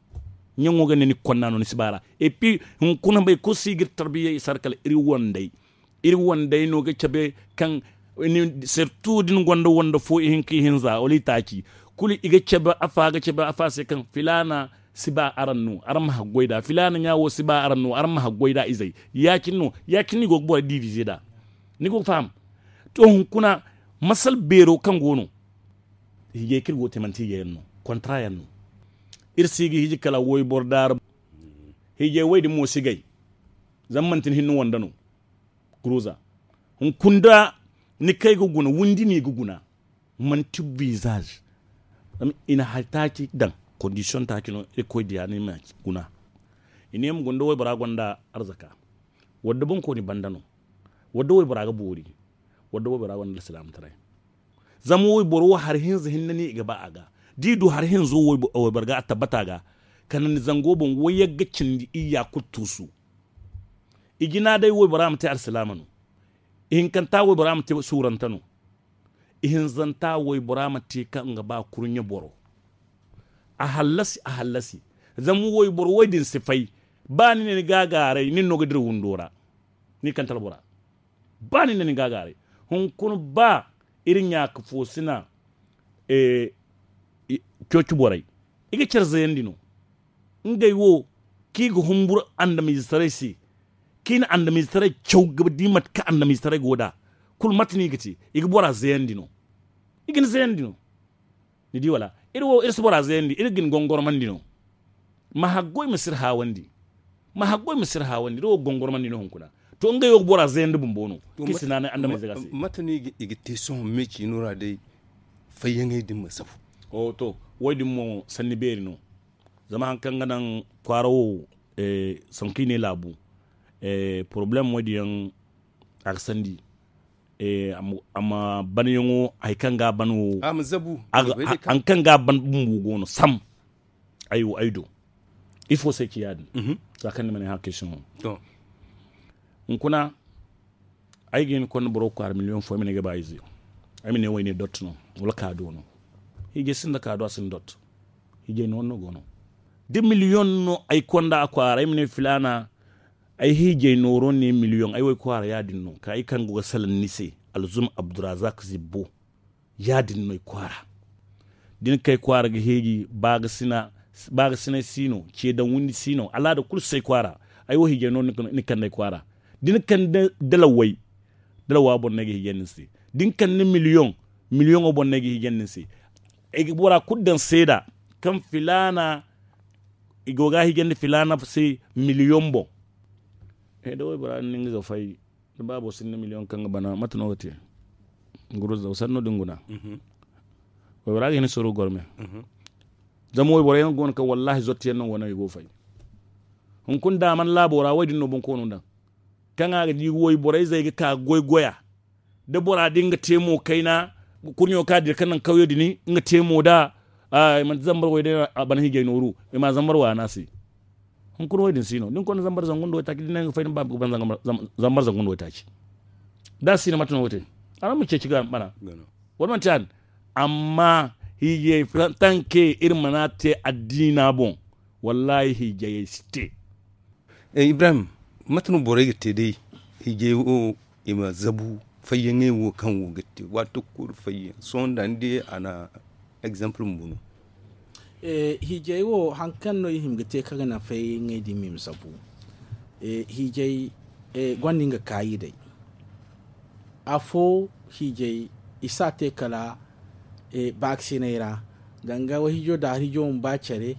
ɲaŋo ga ne ni ga konda no ni si ba ra. Epi hunkuna boro kulu si ga iri tarbiya i si har kala iri wandey. Iri wandey no ga cabe kaŋ sirtu da ni gonda wande fo ihinka ihinza wala itaaci kulu i ga cabe afa ga cabe afa se kaŋ filaana si ba araŋ no, araŋ ma haggoy nd'a. Filaana ɲa wo si ba araŋ no, araŋ ma haggoy nd'a izey. Ya-cine no, ya-cine no i go ga borey divize nd'a. Ni go ga faham? To, hunkuna, masal beero kaŋ go no, hiijay kaŋ iri go ga te manti hiijay yaŋ no, kontra yaŋ no. Iri si ga hiiji kala wayboro daara. Hiijay way din mo si gay. Zama manti ni hinne wande no. Guruza. Hunkuna da ni kay ga guna, windi no i ga guna. Manti bizaz. Zama i na hari taaci daŋ, kondisiyoŋ taaci no, Irkoy diya ni ma guna. I ne ma guna da waybora gonda arzaka. Wadda boŋkooni banda no. Wadda waybora ga boori. Wadda waybora gonda alsilaamataray. Zama wayboro wo hari hinza hinne no i ga ba a ga. Da i du hari hinzo waybo-, wayboro ga a tabbata a ga. Kala ni zango boŋ wayyaŋ ga cindi iyya kulu tuusu. I jina day waybora ma te alsilaama no. Ihinkanta waybora ma te suurante no. Ihinzanta waybora ma te kaŋ ga ba kurɲe boro. A hallasi, a hallasi. Zama wayboro way din si fay. Ba ni ne ni gaagaaray, nin no ga dira windo ra. Ni kanta albora. Ba ni ne ni gaagaaray. Hunkuna ba iri ɲaaka foosina, eh, i-, cooci borey. I ga care zayandi no. Ngey wo, kaŋ i ga humburu andamiizetaray se, kaŋ i na andamiizetaray caw ga di mate kaŋ andamiizetaray go nd'a. Kulu mate no i ga te, i ga bora zayandi no. I ga ni zayandi no. Ni di wala? Iri wo, iri si bora zayandi, iri ga ni gongormandi no. Ma haggoy ma si iri haawandi. Ma haggoy ma si iri haawandi, iri wo ga gongormandi no hunkuna. To, ngey wo ga bora zayandi bumbo no, kaŋ i si naanay andamiize ga se. Mate no i ga, i ga te sohõ me ciino ra day, fayyaŋey din ma safu? O, to, wo-din mo sanni beeri no. Zama hari kaŋ ga naŋ kwaara wo, eh, sanku i ne laabu, eh, porobalem wo-din yaŋ a ga sandi, eh, a ma, a ma banyaŋo, hari kaŋ ga a ban wo, a ma zabu, a ga, hari kaŋ ga a ban bumbo go no, sam, ay wo, ay do. Ifo se ci ya-din? Mhm. Za kaŋ ni ma ne hã question wo. To. Hunkuna, ay ga hin konda boro kwaara miliyoŋ fo, ay ma ne ay ga ba ize. Ay ma ne wo ay ne dot no, wala kaado no. Hiijay sinda kaado, a sinda dot. Hiijay nooro no go no. Da miliyoŋ no ay konda a kwaara, ay ma ne filaana, ay hiijay nooro ne miliyoŋ, ay wo ay kwaara ya-din no. Ka ay kaŋ go ga salaŋ ni se, Alzum Abdurazak Zibbo. Ya-din no ay kwaara. Da ni kay kwaara ga heeji, ba ga sina, ba ga sinay si no, ce daŋ windi si no, alaada kulu si ay kwaara. Ay wo hiijay no ni, ni kande ay kwaara. Da ni kande dalawey, dalawa boŋ no ay ga hiijay ni se. Da ni kande miliyoŋ, miliyoŋo boŋ no ay ga hiijay ni se. Ay ga bora kulu daŋ seeda kaŋ filaana, i go ga hiijandi filaana se miliyoŋ boŋ. Eh, da waybora din nga ga fay, da baabo sinda miliyoŋ kaŋ ga bana, mate no ga te? Guruza, sanno din guna. Mhm. Waybora ga hin soro gorme. Mhm. Zama wayboro yaŋ go no kaŋ wallaahi zottiyaŋ no go no i go fay. Hunkuna da a mana laabo ra, wo-din no boŋ koono daŋ. Kaŋ a ga di wayborey zey ga ka goy goya. Da bora din ga te mo kayna, kurɲo ka dira kaŋ naŋ kawyo din, nga te mo da, a, i manti zambar way day a ban hiijay nooru, i ma zambar waana se. Hunkuna wo-din si no. Da ni konda zambar zangu nda waytaaci, da ni ne nga fay, ni ba ga ban zambar, zam-, zambar zangu nda waytaaci. Da a si no, mate no ga te? Araŋ ma ceeci ga bana. Wala manti ya-din? Amma hiijay tanke iri mana te addiina boŋ. Wallaahi hiijayey si te. Eh, Ibrahim, mate no borey ga te day? Hiijay wo, i ma zabu fayyaŋey wo kaŋ wo ga te. Waati kulu fayyaŋ. Sohõ da ni di a na exemple bumbo no. Eh, hiijay wo, haŋ kaŋ no i hima ga te kaŋ ga naŋ fayyaŋey din ma i ma zabu. Eh, hiijay, eh, gonda nga kaayi day. Afo hiijay, i si a te kala, eh, baakasinay ra. Danga wayhiijo da hari hiijo ma ba care.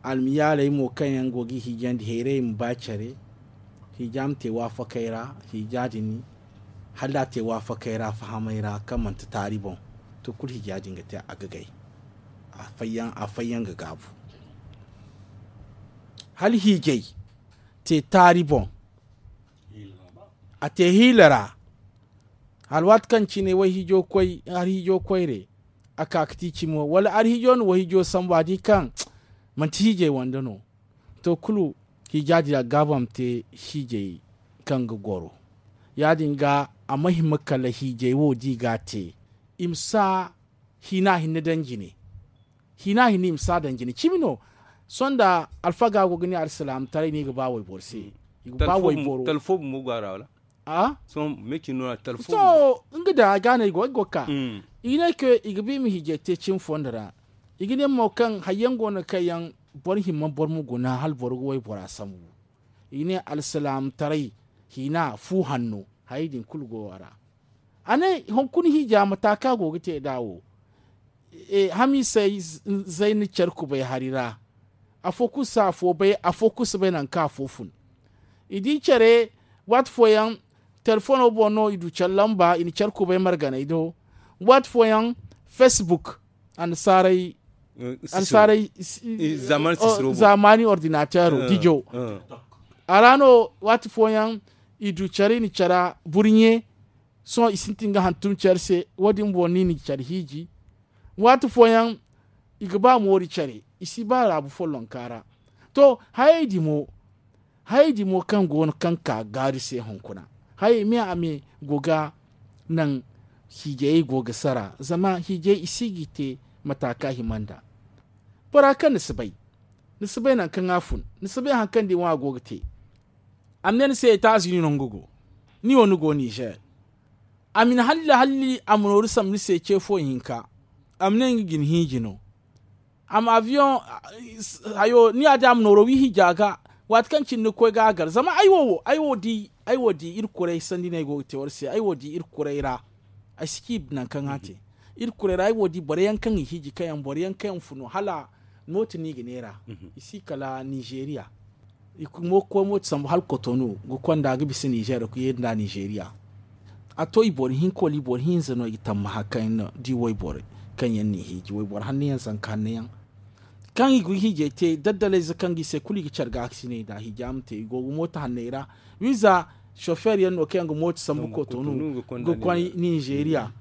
Almiyaaley mo kaŋ yaŋ go ga i hiijandi, hayray ma ba care. Hiija ma te waafakey ra, hiija din, hala da a te waafakey ra, fahamay ra, kaŋ manti taari boŋ, to, kulu hiija din ga te a ga gay. A fayyaŋ, a fayyaŋ ga gaabu. Hala hiijay te taari boŋ, a te hiila ra. Hala waati kaŋ cine wayhiijo koy, hari hiijo koyre, a ka ga ti cimo, wala hari hiijo na wayhiijo sambu, a di kaŋ manti hiijay wande no. To, kulu hiija din a ga gaabu a ma te hiijay kaŋ ga goro. Ya-din ga, a ma hima kala hiijay wo da i ga a te, i ma si a hina hinne daŋ jine. Hina hinne i ma si a daŋ jine. Cimi no, sohõ da alfaga go ga ne alsilaamataray no i ga ba wayboro se. I ga ba wayboro. Talfo bumbo go a ra, wala? A? Sohõ, me cine no a talfo bumbo. To, nga da a ga no ay go, ay go ga ka. Mm. I ne kaŋ i ga ba i ma hiijay te cimi fonda ra. I ga ne mo kaŋ hayyaŋ go no kaŋ yaŋ boro hima boro ma guna hala boro ga waybora sambu. I ga ne alsilaamataray hina fu hanno. Hayey din kulu go a ra. A ne hunkuna hiija mata kaŋ a go ga te nd'a wo. Hamiisey zayna care kubay hari ra. Afo kulu si afo bay, afo kulu si bay nangu kaŋ afo fun. I di care, waati fooyaŋ telefono boŋ no i du care lamba i na care kubay marganay do. Waati fooyaŋ, facebook, annasaarey annasaarey zamani ordinateero dijo. A ra no waati fooyaŋ i du care i na cara burɲe. Sohõ i sintin ga hantum care se. Wo- din boŋ no i na care hiiji. Waati fooyaŋ i ga ba moori care, i si ba laabu follonka ra. To, hayey din mo, hayey din mo kaŋ go no kaŋ ka gaari se hunkuna, hayey me a me go ga naŋ hiijayey go ga sara. Zama hiijay i si ga i te mata kaŋ a hima nd'a. Bora kaŋ ni si bay, ni si bay nangu kaŋ a fun, ni si bay hari kaŋ da i ŋwa a go ga te. A ma ne ni se etazini no nga go. Ni wo ni go nizer. A ma ni halli halli a ma nooru sambu ni se ce fo hinka. A ma ne nga ga ni hiiji no. A ma aviyoŋ hayo ni ya- din a ma nooro wi hiija ga. Waati kaŋ cine ni ga koy ga a gar zama ay wo wo ay wo di iri kuray sanda no ay go ga te war se ay wo di iri kuray ra. Ay si ci nangu kaŋ a te. Iri kuray ra ay wo di boro yaŋ kaŋ i hiiji kaŋ yaŋ boro yaŋ kaŋ yaŋ funu hala mooti no i ga neera. I si kala nizeriya. I ga koy mooti sambu hala kotonu ga konda ga bisa nizer ga ye nda nizeriya. A to i boro hinka wala i boro hinza no i ga tammaha kaŋ yaŋ no di wayboro kaŋ yaŋ n'i hiiji wayboro hanno yaŋ zanka hanno yaŋ. Kaŋ i ga hiijay te daddalayze kaŋ ga i se kulu i ga care ga a ga sinay nda hiija ma te i go ga mooti hanney ra. Wiiza sofer yaŋ no kaŋ yaŋ ga mooti sambu kotonu ga koy nizeriya.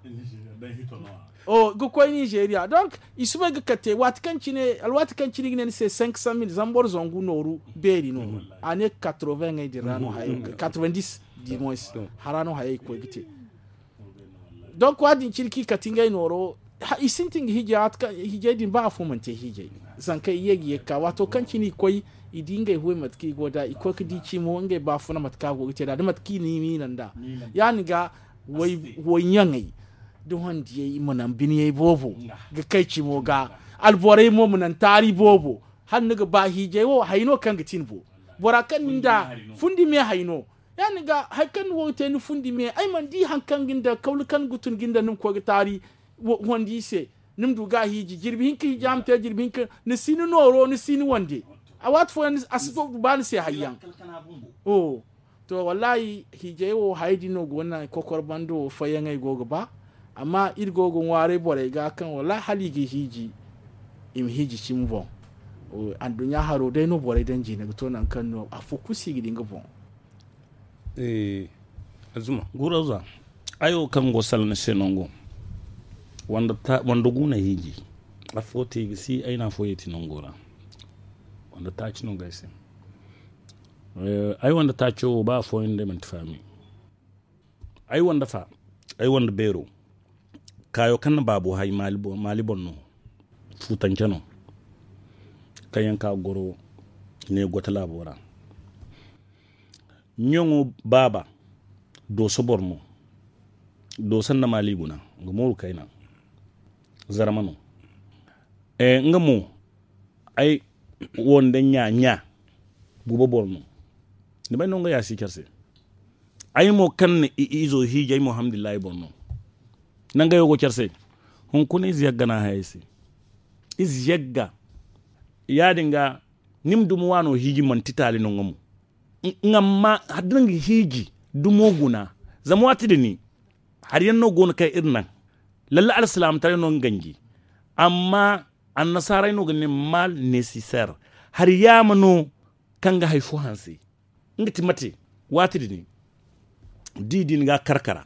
Ga koy nizeriya donk i si bay ga kate waati kaŋ cine alwaati kaŋ cine i ga ne ni se cinq cent mille zama boro zangu nooru beeri no. A ne quatre-vingts ŋey din ra no hayey quatre-vingt-dix, dimois hara no hayey ga koy ga te. Donk wa- din cine kaŋ i kate ngey nooro i sintin ga hiijay din ba afo mana te hiijay. Zankey i ye ga ye ga ka waato kaŋ cine i koy i di ngey huwey mate kaŋ i go nd'a i koy ga di cimo ngey baafuna mate kaŋ a go ga te nd'a da mate kaŋ i na i miila nd'a. Ya- din ga wayɲaŋey da hondiyey i ma naŋ biniyey boobo ga kay cimo ga. Alborey mo ma naŋ taari boobo hala ni ga ba hiijay wo hay no kaŋ ga ti ni boŋ. Bora kaŋ ni nda fundi me hay no. Ya- din ga hari kaŋ ni go ga te ni fundi me ay mana di hari kaŋ ga ni daŋ kawlu kaŋ ni ga tun ga ni daŋ ni ma koy ga taari. Wandi i se ni ma du ga a hiiji jirbi hinka hiija ma te jirbi hinka ni si ni nooro ni si ni wande. A waati fooyaŋ a si ba ni se hari yaŋ. To wallaahi hiijay wo hayey din no go naŋ kokor bando wo fayyaŋey go ga ba. Amma iri go ga ŋwaaray borey ga kaŋ wallaahi hala i ga hiiji i ma hiiji cimi boŋ. Anduɲɲa haro day no borey daŋ jiine ga to nangu kaŋ no afo kulu si ga di nga boŋ. Azuma guraza ay wo kaŋ go salaŋ ni se nango wanda gu na hiiji. Afo te i ga si ay na afo yeeti nango ra. Wanda taaci no ga ay se. Ay wanda taaco wo ba afooyaŋ day manti faami. Ay wanda fa ay wanda beero kaayo kaŋ na baabo hay maali boŋ no. Fuutance no kaŋ yaŋ ka goro ne gote laabo ra. Ɲaŋo baaba dooso boro no. Dooso nda maali guna nga mooru kayna. Zarma no. Nga mo ay wonda ɲa ɲa guba boro no. Ni bay no nga ya si care se. Ay mo kaŋ na i izo hiiji ay mo alhamdulillahi boro no. Nangey wo go care se. Hunkuna ize yagga no a hayey se. Ize yagga. Ya- din ga ni ma dumo waano hiiji manti taali no nga mo. Nga ma da nga hiiji dumo guna. Zama waati din hari yaŋ no go no kaŋ iri naŋ. Lalla alsilaamataray no nga ganji. Amma annasaaray no ga ne mal necessaire. Hari yaama no kaŋ ga hari fo hanse. Nga ti mate waati din da i di ni ga a kar kara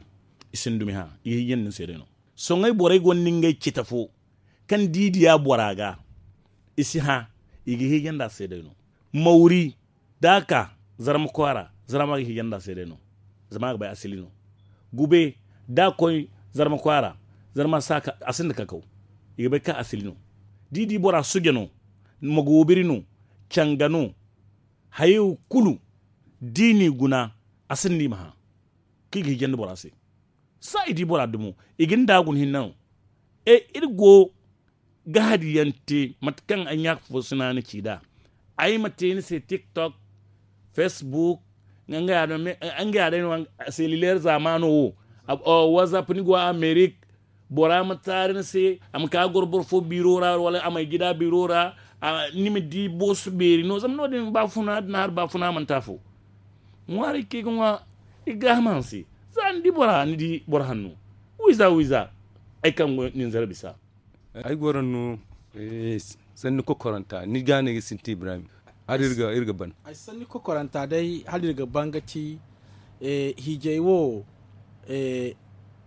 i si ni dumi hã. I ga hiiji nda ni se day no. Sohõ ay borey gonda ngey cita fo kaŋ da i diya bora ga i si hã. I ga hiiji nda a se day no. Mawri da a ka zarma kwaara zarma ga hiiji nda a se day no. Zama a ga bay asili no. Gube da a koy zarma kwaara zarma si a ka a sinda kakaw. I ga bay kaŋ asili no. Da i di bora suja no. Magoobiri no. Canga no. Hayey wo kulu da i n'i guna a sinda i ma hã. Kaŋ i ga hijandi bora se. Saa i di bora dumo i ga ni daagun hinne no. Iri go Gahadi yaŋ te mate kaŋ ay ɲaaka fo sina ni ci nd'a. Ay ma te ni se tiktok, facebook, nga ya day no selulaire zaamaano wo. Whatsapp ni go amerik. Bora ma taari ni se a ma ka goro boro fo biiro ra wala a ma ay gida biiro ra. Ni ma di boosu beeri no zama no- din baafuna da ni hari baafuna mana te afo. Ŋwaaray kaŋ i ga ŋwa i ga gaaham a ni se. Za ni di bora ni di boro hanno wiiza wiiza. Ay kaŋ go nin zara bisa. Ay goro no. Sanni kokoranta ni ga ne ga sintin ibrahim. Hala iri ga ban. Ay sanni kokoranta day hala iri ga ban ga ti hiijay wo.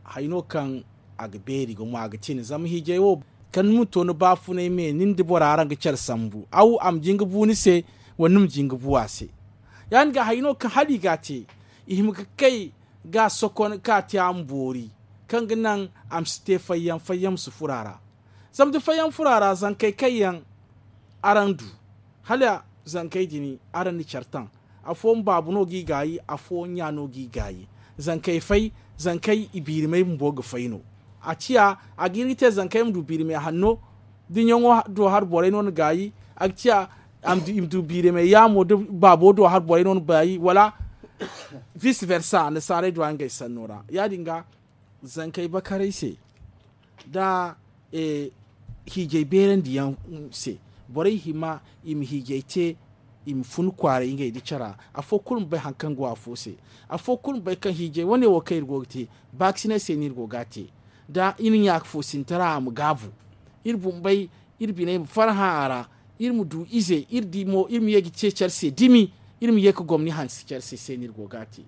Hay no kaŋ a ga beeri gumo a ga tin zama hiijay wo. Kala ni ma to ni baafunay me nin da bora araŋ ga care sambu aw a ma jin ga bu ni se wala ni ma jin ga bu a se. Ya- din ga hay no kaŋ hala i ga a te i hima ga kay ga a sokon ka a te a ma boori kaŋ ga naŋ a ma si te fayyaŋ fayyaŋ ma si furo a ra. Zama da fayyaŋ furo a ra zankey kaŋ yaŋ araŋ du hala zankey din araŋ na care taŋ. Afooyaŋ baabu no g'i gaayi afooyaŋ ɲa no g'i gaayi. Zankey fay zankey i biirimey bumbo ga fay no. A ciya a ga hin ga te zankey ma du biirimey hanno da ɲaŋo do hari borey no na gaayi. A ga ciya i ma du biirimey yaamo da baabo do hari borey no na gaayi wala vice versa annasaarey du a ngey sanno ra. Ya- din ga zankey bakaray se da hiijay beerandi yaŋ se borey hima i ma hiijay te i ma fun kwaaray ngey da cara. Afo kulu ma bay hari kaŋ go afo se. Afo kulu ma bay kaŋ hiijay wane wo kaŋ iri go ga te baakasinay se no iri go ga a te. Da iri ɲaaka fo sintara a ma gaabu iri bumbey iri biney ma farhã a ra. Iri ma du ize iri di mo iri ma ye ga ce care se dimi iri ma ye ga gomni hanse care se se no iri go ga a te.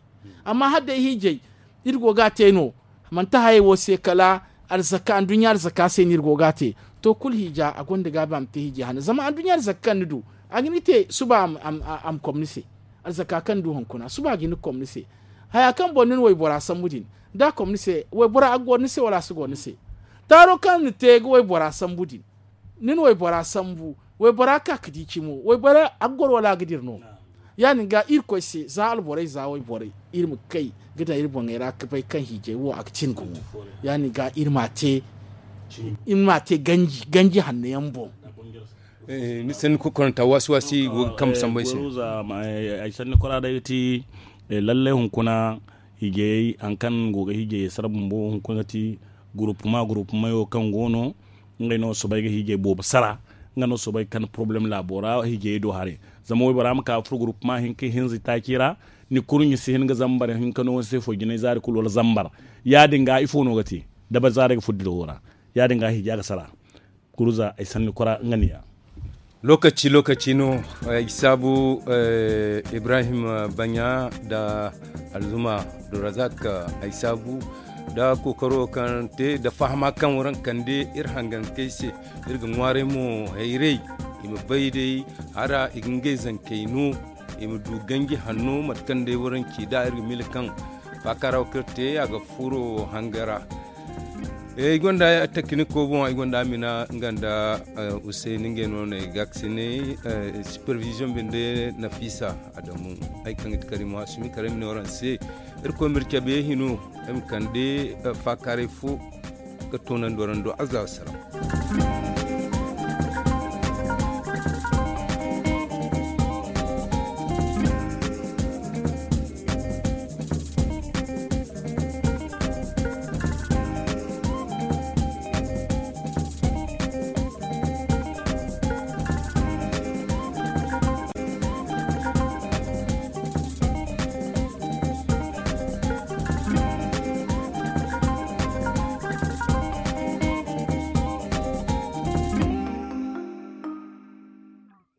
Amma hala day hiijay iri go ga a te no manti hayey wo se kala arzaka anduɲɲa arzaka se no iri go ga a te. To kulu hiija a gonda gaabi a ma te hiijay hane zama anduɲɲa arzaka kaŋ ni du a ga hin ga te suba a ma kom ni se. Arzaka kaŋ ni du hunkuna suba a ga hin ga kom ni se. Haya kaŋ boŋ ni na waybora sambu din da a kom ni se waybora a ga goro ni se wala a si goro ni se? Taaro kaŋ ni te ga waybora sambu din ni na waybora sambu waybora ka ga di cimo waybora a ga goro wala a ga dira no? Ya- din ga irkoy se za alborey za wayborey iri ma kay ga daŋ iri boŋey ra ga bay kaŋ hiijay wo a ga tin gumo. Ya- din ga iri ma a te ganji hanno yaŋ boŋ. Ni sanni kokoranta waasi waasi go ga kambe sambu ay se. Ay sanni kora day ga ti lallay hunkuna hiijayey hari kaŋ go ga hiijayey sara bumbo hunkuna ga ti guruppuma guruppumayo kaŋ go no. Ngey no soobay ga hiijay boobo sara. Nga no soobay ga kande porobalem laabo ra hiijayey do haray. Zama waybora ma ka ga furo guruppuma hinka hinza itaaci ra. Ni kurɲe si hin ga zambar hinka no ni se foy jinay zaari kulu wala zambar. Ya- din ga ifo no ga te? Dabari zaarey ga furo dirawo ra. Ya- din ga hiija ga sara. Kuruza ay sanni kora nga niya. Lookaci lookaci no. Ay saabu ibrahim baɲa nda alzuma durazak. Ay saabu nda kookaro kaŋ te nda fahama kaŋ waraŋ kande iri hangankey se. Iri ga ŋwaaray mo hayrey i ma bay day hara i ga ngey zankey no. I ma du ganji hanno mate kaŋ day waraŋ ci nd'a iri ga mila kaŋ faakaara wo kaŋ iri te a ga furo hanga ra. Ay gonda takiniko boŋ ay gonda amina nga nda usayni ngey no no ay ga ga sinay. Supervision binde nafisa adamu ay kaŋ ga ti karimo a sumi kala ay ma ne waraŋ se. Irkoy ma iri cabe hino ay ma kande faakaaray fo ga toonandi waraŋ do azza wassalaam.